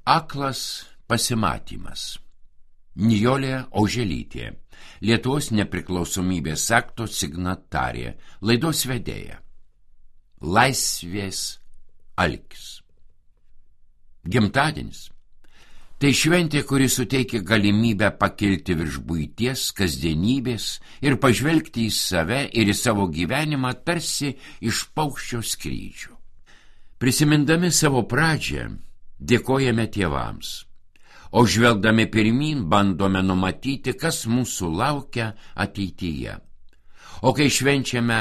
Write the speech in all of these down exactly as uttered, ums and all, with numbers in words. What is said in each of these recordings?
Aklas pasimatymas. Nijolė Oželytė, Lietuvos nepriklausomybės akto signatarė, laidos vedėja. Laisvės alkis. Gimtadienis. Tai šventė, kuri suteikia galimybę pakilti virš buities, kasdienybės ir pažvelgti į save ir į savo gyvenimą tarsi iš paukščio skrydžio. Prisimindami savo pradžią, dėkojame tėvams, o žvelgdami pirmyn bandome numatyti, kas mūsų laukia ateityje. O kai švenčiame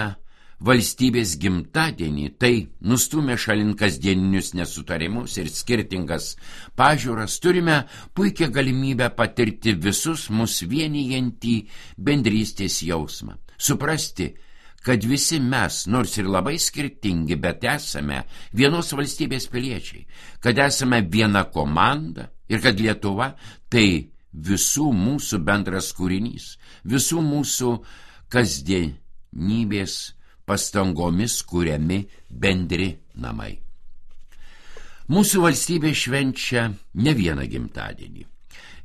valstybės gimtadienį, tai nustūmę šalin kasdieninius nesutarimus ir skirtingas pažiūras, turime puikią galimybę patirti visus mus vienijantį bendrystės jausmą, suprasti, kad visi mes, nors ir labai skirtingi, bet esame vienos valstybės piliečiai, kad esame viena komanda ir kad Lietuva tai visų mūsų bendras kūrinys, visų mūsų kasdienybės pastangomis kuriami bendri namai. Mūsų valstybė švenčia ne vieną gimtadienį.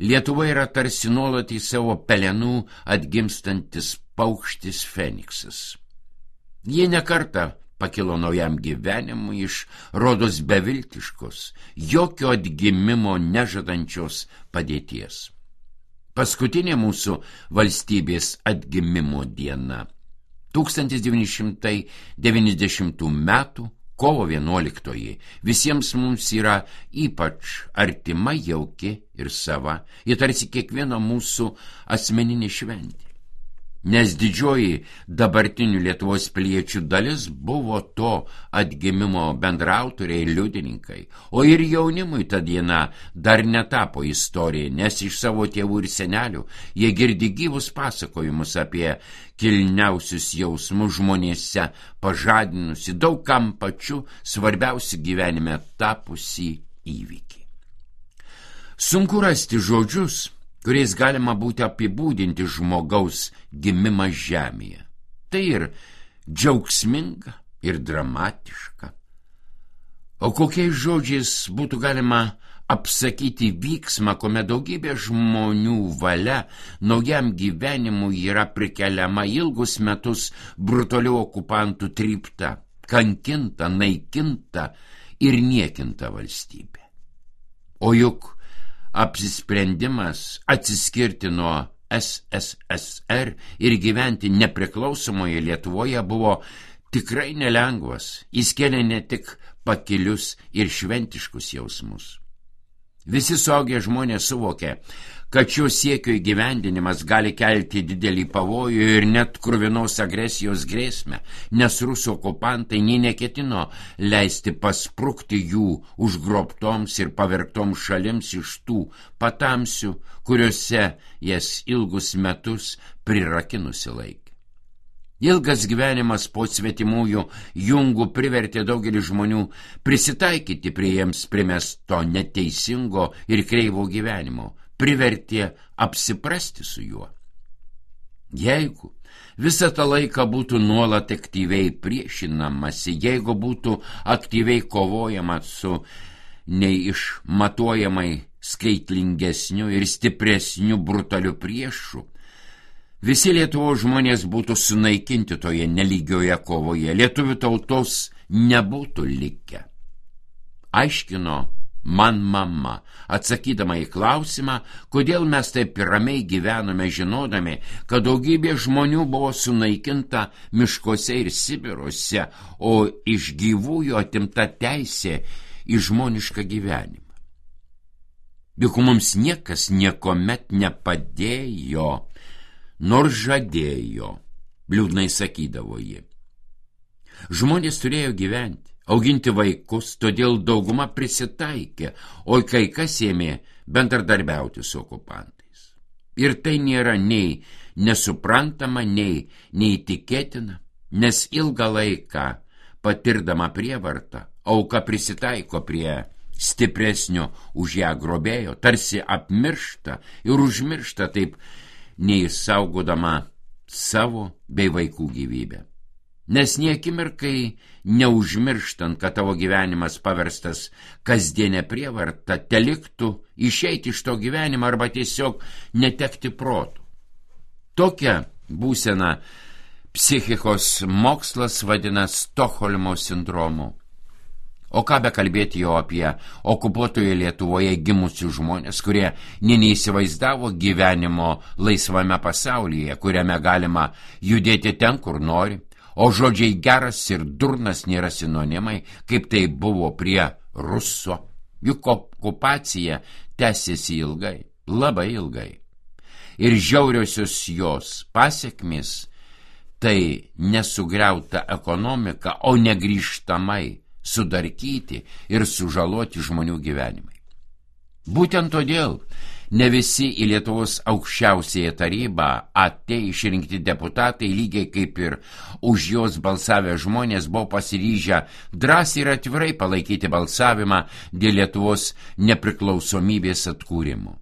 Lietuva yra tarsi nuolat į savo pelenų atgimstantis paukštis Feniksas. Jie nekartą pakilo naujam gyvenimui iš rodos beviltiškos, jokio atgimimo nežadančios padėties. Paskutinė mūsų valstybės atgimimo diena tūkstantis devyni šimtai devyniasdešimtų metų kovo vienuoliktoji visiems mums yra ypač artima, jauki ir sava, ji tarsi kiekvieno mūsų asmeninė šventė. Nes didžioji dabartinių Lietuvos piliečių dalis buvo to atgimimo bendraautoriai ir liudininkai, o ir jaunimui ta diena dar netapo istorija, nes iš savo tėvų ir senelių jie girdi gyvus pasakojimus apie kilniausius jausmus žmonėse pažadinusi daug kam pačiu svarbiausi gyvenime tapusi įvykį. Sunku rasti žodžius, kuriais galima būti apibūdinti žmogaus gimimą žemėje. Tai ir džiaugsminga, ir dramatiška. O kokiais žodžiais būtų galima apsakyti vyksmą, kuomet daugybė žmonių valia naujam gyvenimui yra prikeliama ilgus metus brutalių okupantų trypta, kankinta, naikinta ir niekinta valstybė. O juk apsisprendimas atsiskirti nuo S S S R ir gyventi nepriklausomoje Lietuvoje buvo tikrai nelengvas, jis kėlė ne tik pakilius ir šventiškus jausmus. Visi suaugę žmonės suvokė, kad šio siekio įgyvendinimas gali kelti didelį pavojų ir net kruvinos agresijos grėsmę, nes rusų okupantai nei neketino leisti pasprukti jų užgrobtoms ir pavergtoms šalims iš tų patamsių, kuriuose jas ilgus metus prirakinusi laikė. Ilgas gyvenimas po svetimųjų jungų privertė daugelį žmonių prisitaikyti prie jiems primesto neteisingo ir kreivo gyvenimo, privertė apsiprasti su juo. Jeigu visą tą laiką būtų nuolat aktyviai priešinamasi, jeigu būtų aktyviai kovojama su neišmatuojamai skaitlingesniu ir stipresniu brutaliu priešu, visi Lietuvos žmonės būtų sunaikinti toje nelygioje kovoje, lietuvių tautos nebūtų likę. Aiškino man mama, atsakydama į klausimą, kodėl mes taip ramiai gyvenome žinodami, kad daugybė žmonių buvo sunaikinta miškuose ir Sibiruose, o iš gyvųjų atimta teisė į žmonišką gyvenimą. Juk mums niekas niekomet nepadėjo, nors žadėjo, liūdnai sakydavo ji. Žmonės turėjo gyventi, auginti vaikus, todėl dauguma prisitaikė, o kai kas ėmė bendradarbiauti su okupantais. Ir tai nėra nei nesuprantama, nei neįtikėtina, nes ilgą laiką patirdama prievartą, auka prisitaiko prie stipresnio už ją grobėjo, tarsi apmiršta ir užmiršta taip neišsaugodama savo bei vaikų gyvybę. Nes niekimirkai neužmirštant, kad tavo gyvenimas paverstas kasdienę prievartą, teliktų išeiti iš to gyvenimo arba tiesiog netekti protų. Tokią būseną psichikos mokslas vadina Stokholmo sindromu. O ką bekalbėti jau apie okupuotoje Lietuvoje gimusius žmonės, kurie nė neįsivaizdavo gyvenimo laisvame pasaulyje, kuriame galima judėti ten, kur nori, o žodžiai geras ir durnas nėra sinonimai, kaip tai buvo prie Ruso. Juk okupacija tęsiasi ilgai, labai ilgai. Ir žiauriosios jos pasiekmės tai nesugriauta ekonomika, o negrįžtamai sudarkyti ir sužaloti žmonių gyvenimai. Būtent todėl ne visi į Lietuvos aukščiausiąją tarybą atėję išrinkti deputatai, lygiai kaip ir už jos balsavę žmonės, buvo pasiryžę drąsiai ir atvirai palaikyti balsavimą dėl Lietuvos nepriklausomybės atkūrimo.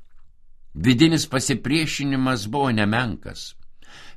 Vidinis pasipriešinimas buvo nemenkas.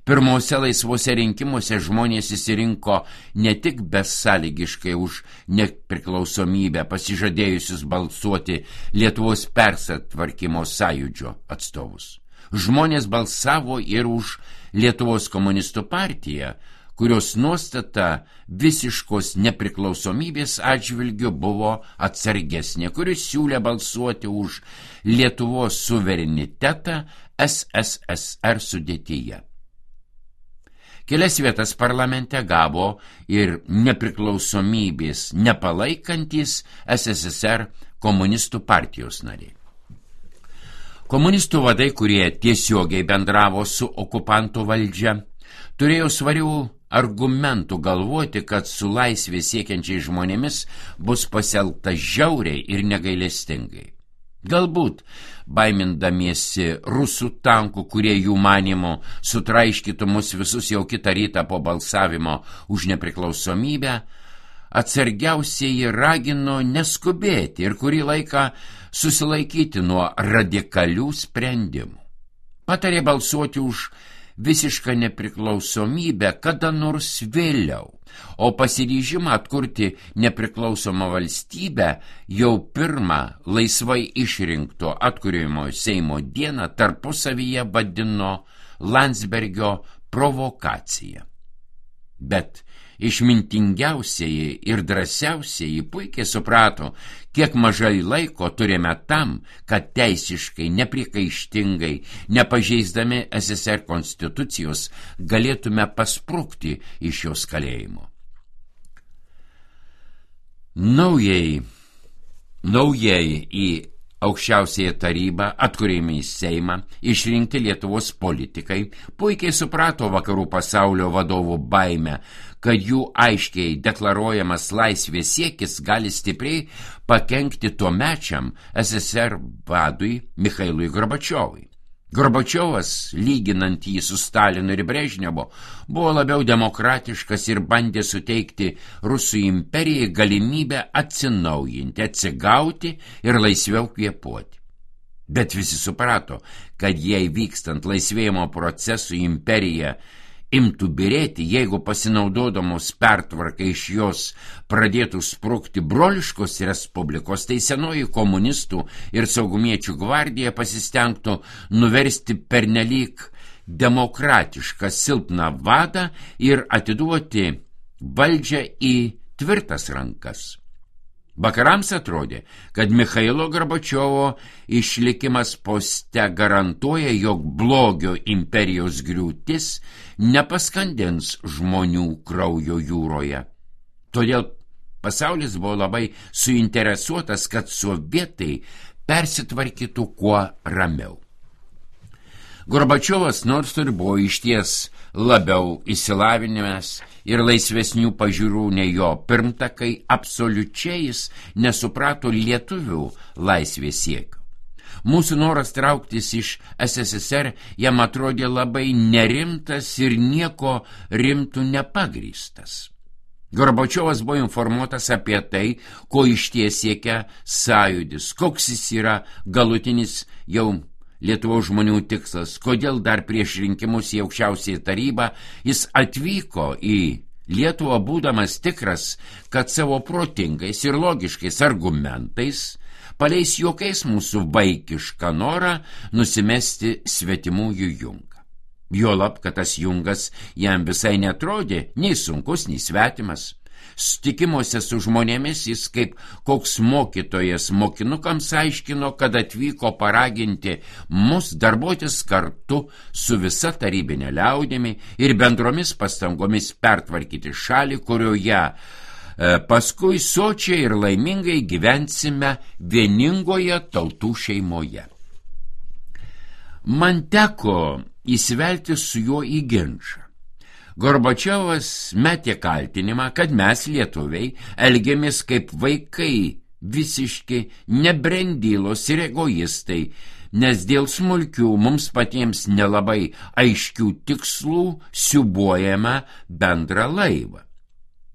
Pirmose laisvose rinkimuose žmonės įsirinko ne tik besąlygiškai už nepriklausomybę pasižadėjusius balsuoti Lietuvos persitvarkymo sąjūdžio atstovus. Žmonės balsavo ir už Lietuvos komunistų partiją, kurios nuostata visiškos nepriklausomybės atžvilgiu buvo atsargesnė, kuris siūlė balsuoti už Lietuvos suverenitetą S S S R sudėtyje. Kelias vietas parlamente gavo ir nepriklausomybės nepalaikantis S S S R komunistų partijos nariai. Komunistų vadai, kurie tiesiogiai bendravo su okupantų valdžia, turėjo svarių argumentų galvoti, kad su laisvė siekiančiai žmonėmis bus pasielgta žiauriai ir negailestingai. Galbūt, baimindamiesi rusų tankų, kurie jų manymu sutraiškytų mus visus jau kitą rytą po balsavimo už nepriklausomybę, atsargiausieji ragino neskubėti ir kurį laiką susilaikyti nuo radikalių sprendimų. Patarė balsuoti už visišką nepriklausomybę kada nors vėliau, o pasiryžimą atkurti nepriklausomą valstybę jau pirmą laisvai išrinkto atkūrimo Seimo dieną tarpusavyje vadino Landsbergio provokacija. Bet išmintingiausieji ir drąsiausieji puikiai suprato, kiek mažai laiko turime tam, kad teisiškai, nepriekaištingai, nepažeisdami S S R konstitucijos, galėtume pasprukti iš jos kalėjimo. Naujai, naujai į aukščiausiąją tarybą, atkūrėme į Seimą, išrinkti Lietuvos politikai, puikiai suprato vakarų pasaulio vadovų baimę, kad jų aiškiai deklaruojamas laisvės siekis gali stipriai pakenkti tuomečiam S S R vadui Michailui Gorbačiovui. Gorbačiovas, lyginant jį su Stalinu ir Brežnevu, buvo labiau demokratiškas ir bandė suteikti Rusų imperijai galimybę atsinaujinti, atsigauti ir laisviau kvėpuoti. Bet visi suprato, kad jei vykstant laisvėjimo procesų imperija imtų birėti, jeigu pasinaudodamos pertvarkai iš jos pradėtų sprukti broliškos respublikos, tai senoji komunistų ir saugumiečių gvardija pasistengtų nuversti pernelyg demokratišką silpną vadą ir atiduoti valdžią į tvirtas rankas. Vakarams atrodė, kad Michailo Gorbačiovo išlikimas poste garantuoja, jog blogio imperijos griūtis nepaskandins žmonių kraujo jūroje. Todėl pasaulis buvo labai suinteresuotas, kad sovietai persitvarkytų kuo ramiau. Gorbačiovas nors ir buvo išties labiau išsilavinęs ir laisvesnių pažiūrų nei jo pirmtakai, absoliučiai jis nesuprato lietuvių laisvės siekio. Mūsų noras trauktis iš S S S R jam atrodė labai nerimtas ir nieko rimtų nepagrįstas. Gorbačiovas buvo informuotas apie tai, ko išties siekia sąjūdis, koks jis yra galutinis jau Lietuvos žmonių tikslas, kodėl dar prieš rinkimus į aukščiausiąją tarybą jis atvyko į Lietuvą būdamas tikras, kad savo protingais ir logiškais argumentais paleis juokais mūsų vaikišką norą nusimesti svetimųjų jungą. Juolab, kad tas jungas jam visai netrodė nei sunkus, nei svetimas. Sutikimuose su žmonėmis jis kaip koks mokytojas mokinukams aiškino, kad atvyko paraginti mus darbuotis kartu su visa tarybinė liaudimi ir bendromis pastangomis pertvarkyti šalį, kurioje e, paskui sočiai ir laimingai gyvensime vieningoje tautų šeimoje. Man teko įsivelti su juo į ginčą. Gorbačiovas metė kaltinimą, kad mes, lietuviai, elgiamės kaip vaikai, visiški nebrendylos ir egoistai, nes dėl smulkių mums patiems nelabai aiškių tikslų siūbuojame bendrą laivą.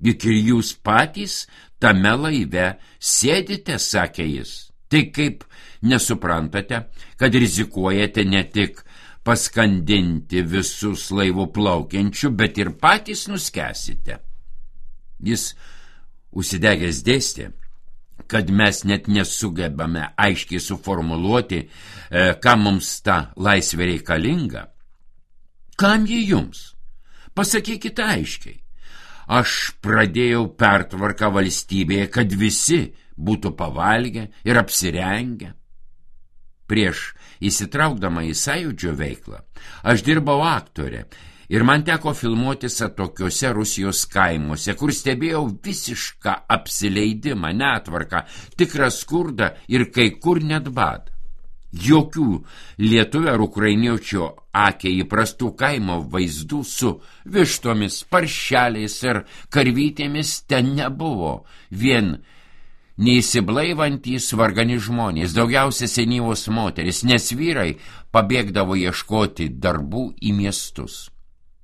Juk ir jūs patys tame laive sėdite, sakė jis. Tai kaip nesuprantate, kad rizikuojate ne tik paskandinti visus laivų plaukiančių, bet ir patys nuskęsite. Jis užsidegęs dėstė, kad mes net nesugebame aiškiai suformuluoti, e, kam mums ta laisvė reikalinga. Kam ji jums? Pasakykite aiškiai. Aš pradėjau pertvarką valstybėje, kad visi būtų pavalgę ir apsirengę. Prieš įsitraukdama į sąjūdžio veiklą, aš dirbau aktorė ir man teko filmuotis atokiuose Rusijos kaimuose, kur stebėjau visišką apsileidimą, netvarką, tikrą skurdą ir kai kur net badą. Jokių lietuvio ar ukrainiečio akiai įprastų kaimo vaizdų su vištomis, paršeliais ir karvytėmis ten nebuvo, vien neįsiblaivantys vargani žmonės, daugiausia senyvos moteris, nes vyrai pabėgdavo ieškoti darbų į miestus.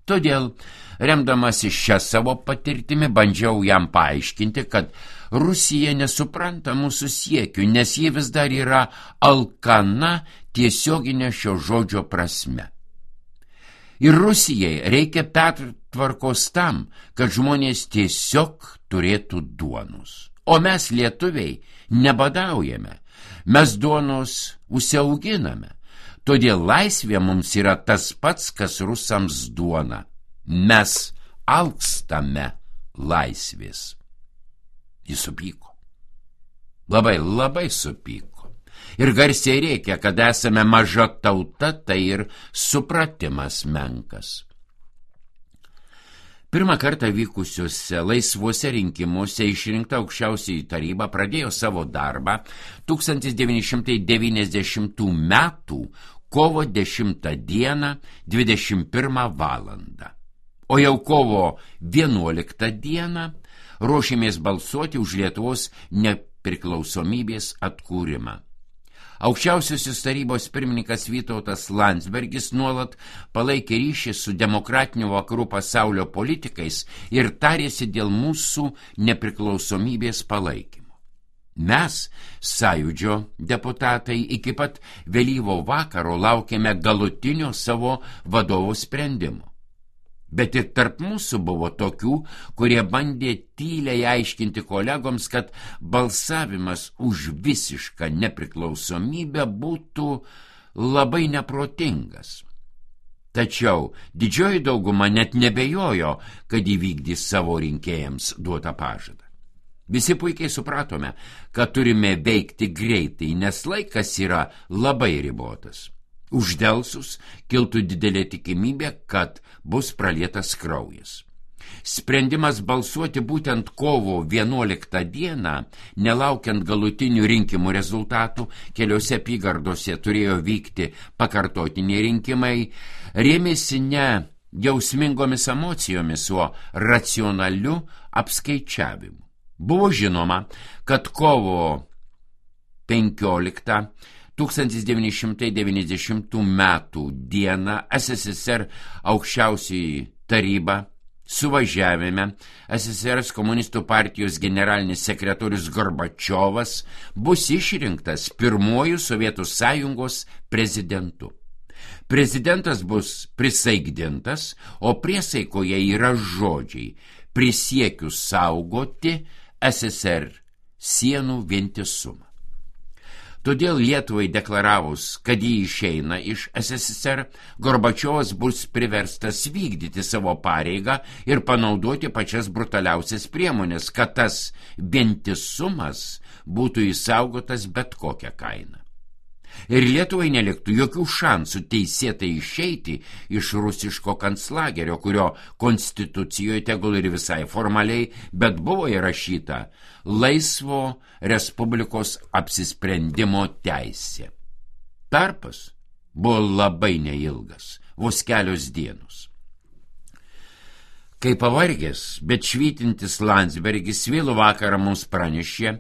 Todėl, remdamasi šią savo patirtimį, bandžiau jam paaiškinti, kad Rusija nesupranta mūsų siekių, nes ji vis dar yra alkana tiesioginė šio žodžio prasme. Ir Rusijai reikia pertvarkos tam, kad žmonės tiesiog turėtų duonos. O mes, lietuviai, nebadaujame, mes duonos užsiauginame. Todėl laisvė mums yra tas pats, kas rusams duona. Mes alkstame laisvės. Jis supyko. Labai, labai supyko. Ir garsiai reikia, kad esame maža tauta, tai ir supratimas menkas. Pirmą kartą vykusiuose laisvuose rinkimuose išrinkta aukščiausioji taryba pradėjo savo darbą tūkstantis devyni šimtai devyniasdešimtų metų kovo dešimtą dieną dvidešimt pirmą valandą. O jau kovo vienuoliktą dieną ruošėmės balsuoti už Lietuvos nepriklausomybės atkūrimą. Aukščiausiosios tarybos pirmininkas Vytautas Landsbergis nuolat palaikė ryšį su demokratiniu vakarų pasaulio politikais ir tarėsi dėl mūsų nepriklausomybės palaikymo. Mes, sąjūdžio deputatai, iki pat vėlyvo vakaro laukėme galutinio savo vadovo sprendimo. Bet ir tarp mūsų buvo tokių, kurie bandė tyliai aiškinti kolegoms, kad balsavimas už visišką nepriklausomybę būtų labai neprotingas. Tačiau didžioji dauguma net nebejojo, kad įvykdys savo rinkėjams duotą pažadą. Visi puikiai supratome, kad turime veikti greitai, nes laikas yra labai ribotas. Uždelsus kiltų didelė tikimybė, kad bus pralietas kraujas. Sprendimas balsuoti būtent kovo vienuoliktą dieną, nelaukiant galutinių rinkimų rezultatų, keliose apygardose turėjo vykti pakartotiniai rinkimai, rėmėsi ne jausmingomis emocijomis, o racionaliu apskaičiavimu. Buvo žinoma, kad kovo penkioliktą tūkstantis devyni šimtai devyniasdešimtų metų dieną S S S R aukščiausioji taryba suvažiavime S S R komunistų partijos generalinis sekretorius Gorbačiovas bus išrinktas pirmuoju Sovietų sąjungos prezidentu. Prezidentas bus prisaikdintas, o priesaikoje yra žodžiai: prisiekiu saugoti S S R sienų vientisumą. Todėl Lietuvai deklaravus, kad jį išeina iš S S R, Gorbačiovas bus priverstas vykdyti savo pareigą ir panaudoti pačias brutaliausias priemonės, kad tas vientisumas būtų išsaugotas bet kokią kainą. Ir Lietuvai neliktų jokių šansų teisėtai išeiti iš rusiško kanclagerio, kurio konstitucijoje tegul ir visai formaliai, bet buvo įrašyta laisvo respublikos apsisprendimo teisė. Tarpas buvo labai neilgas, vos kelios dienos. Kai pavargęs, bet švytintis Landsbergis vėlų vakarą mums pranešė,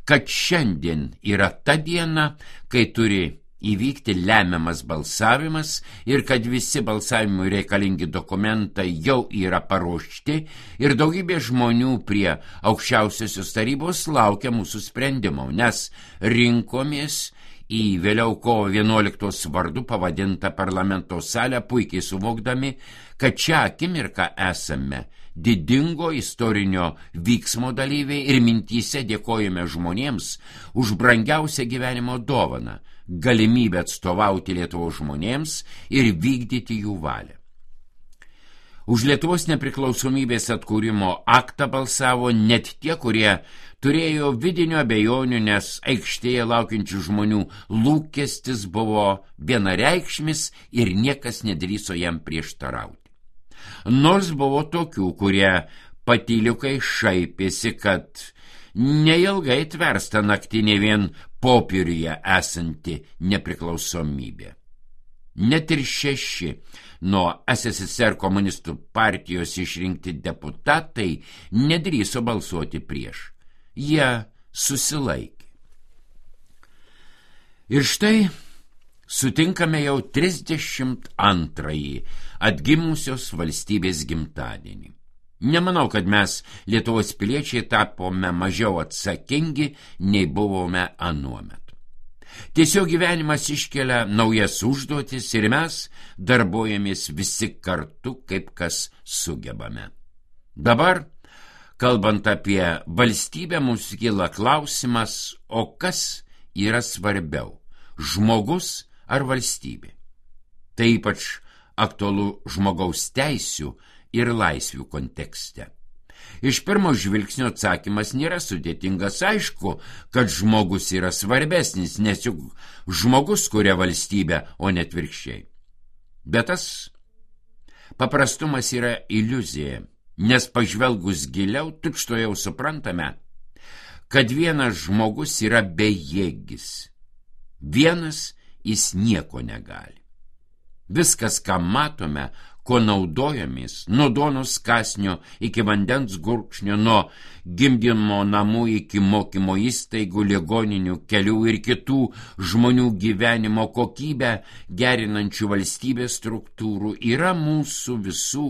kad šiandien yra ta diena, kai turi įvykti lemiamas balsavimas ir kad visi balsavimui reikalingi dokumentai jau yra paruošti ir daugybė žmonių prie aukščiausiosios tarybos laukia mūsų sprendimo, nes rinkomės į vėliau kovo vienuoliktos vardu pavadintą parlamento salę, puikiai suvokdami, kad čia akimirką esame didingo istorinio vyksmo dalyviai ir mintyse dėkojame žmonėms už brangiausią gyvenimo dovaną, galimybę atstovauti Lietuvos žmonėms ir vykdyti jų valią. Už Lietuvos nepriklausomybės atkūrimo aktą balsavo net tie, kurie turėjo vidinių abejonių, nes aikštėje laukiančių žmonių lūkestis buvo vienareikšmis ir niekas nedrįso jam prieštarauti. Nors buvo tokių, kurie patyliukai šaipėsi, kad neilgai tversta naktinė vien popieriuje esanti nepriklausomybė. Net ir šeši nuo S S S R komunistų partijos išrinkti deputatai nedrįso balsuoti prieš. Jie susilaikė. Ir štai sutinkame jau trisdešimt antrąjį atgimusios valstybės gimtadienį. Nemanau, kad mes, Lietuvos piliečiai, tapome mažiau atsakingi, nei buvome anuomet. Tiesiog gyvenimas iškelia naujas užduotis ir mes darbuojamės visi kartu, kaip kas sugebame. Dabar, kalbant apie valstybę, mums kyla klausimas, o kas yra svarbiau, žmogus ar valstybė? Tai ypač aktualu žmogaus teisių ir laisvių kontekste. Iš pirmo žvilgsnio atsakymas nėra sudėtingas, aišku, kad žmogus yra svarbesnis, nes juk žmogus kuria valstybę, o net atvirkščiai. Bet tas paprastumas yra iliuzija, nes pažvelgus giliau, tučtuojau suprantame, kad vienas žmogus yra bejėgis. Vienas jis nieko negali. Viskas, ką matome, ko naudojamės, nuo duonos kąsnio iki vandens gurkšnio, nuo gimdymo namų iki mokymo įstaigų, ligoninių, kelių ir kitų žmonių gyvenimo kokybę gerinančių valstybės struktūrų, yra mūsų visų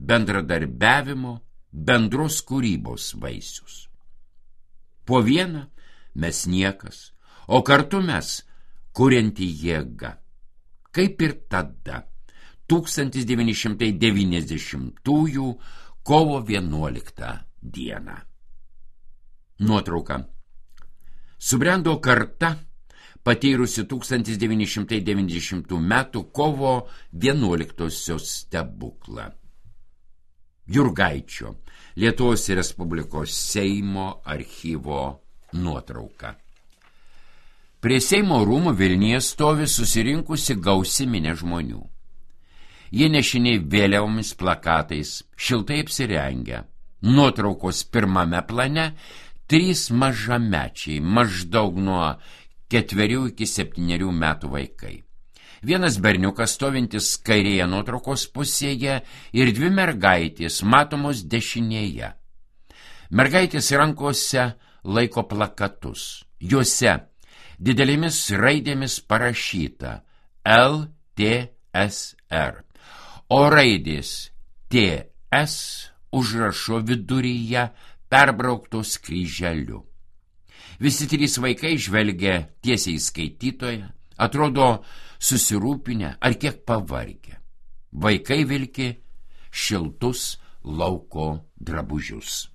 bendradarbiavimo, bendros kūrybos vaisius. Po vieną mes niekas, o kartu mes kurianti jėga. Kaip ir tada, tūkstantis devyni šimtai devyniasdešimtųjų kovo vienuoliktą dieną. Nuotrauka. Subrendo karta, patyrusi tūkstantis devyni šimtai devyniasdešimtų metų kovo vienuoliktosios stebuklą. Jurgaičio, Lietuvos Respublikos Seimo archyvo nuotrauka. Prie Seimo rūmų Vilniuje stovi susirinkusi gausi minė žmonių. Jie nešiniai vėliavomis, plakatais, šiltai apsirengę. Nuotraukos pirmame plane trys mažamečiai, maždaug nuo ketverių iki septynerių metų vaikai. Vienas berniukas stovintis kairėje nuotraukos pusėje ir dvi mergaitės matomos dešinėje. Mergaitės rankose laiko plakatus. Juose didelėmis raidėmis parašyta L T S R, o raidės T S užrašo viduryje perbrauktos kryželiu. Visi trys vaikai žvelgia tiesiai į skaitytoją, atrodo susirūpinę ar kiek pavargę. Vaikai vilki šiltus lauko drabužius.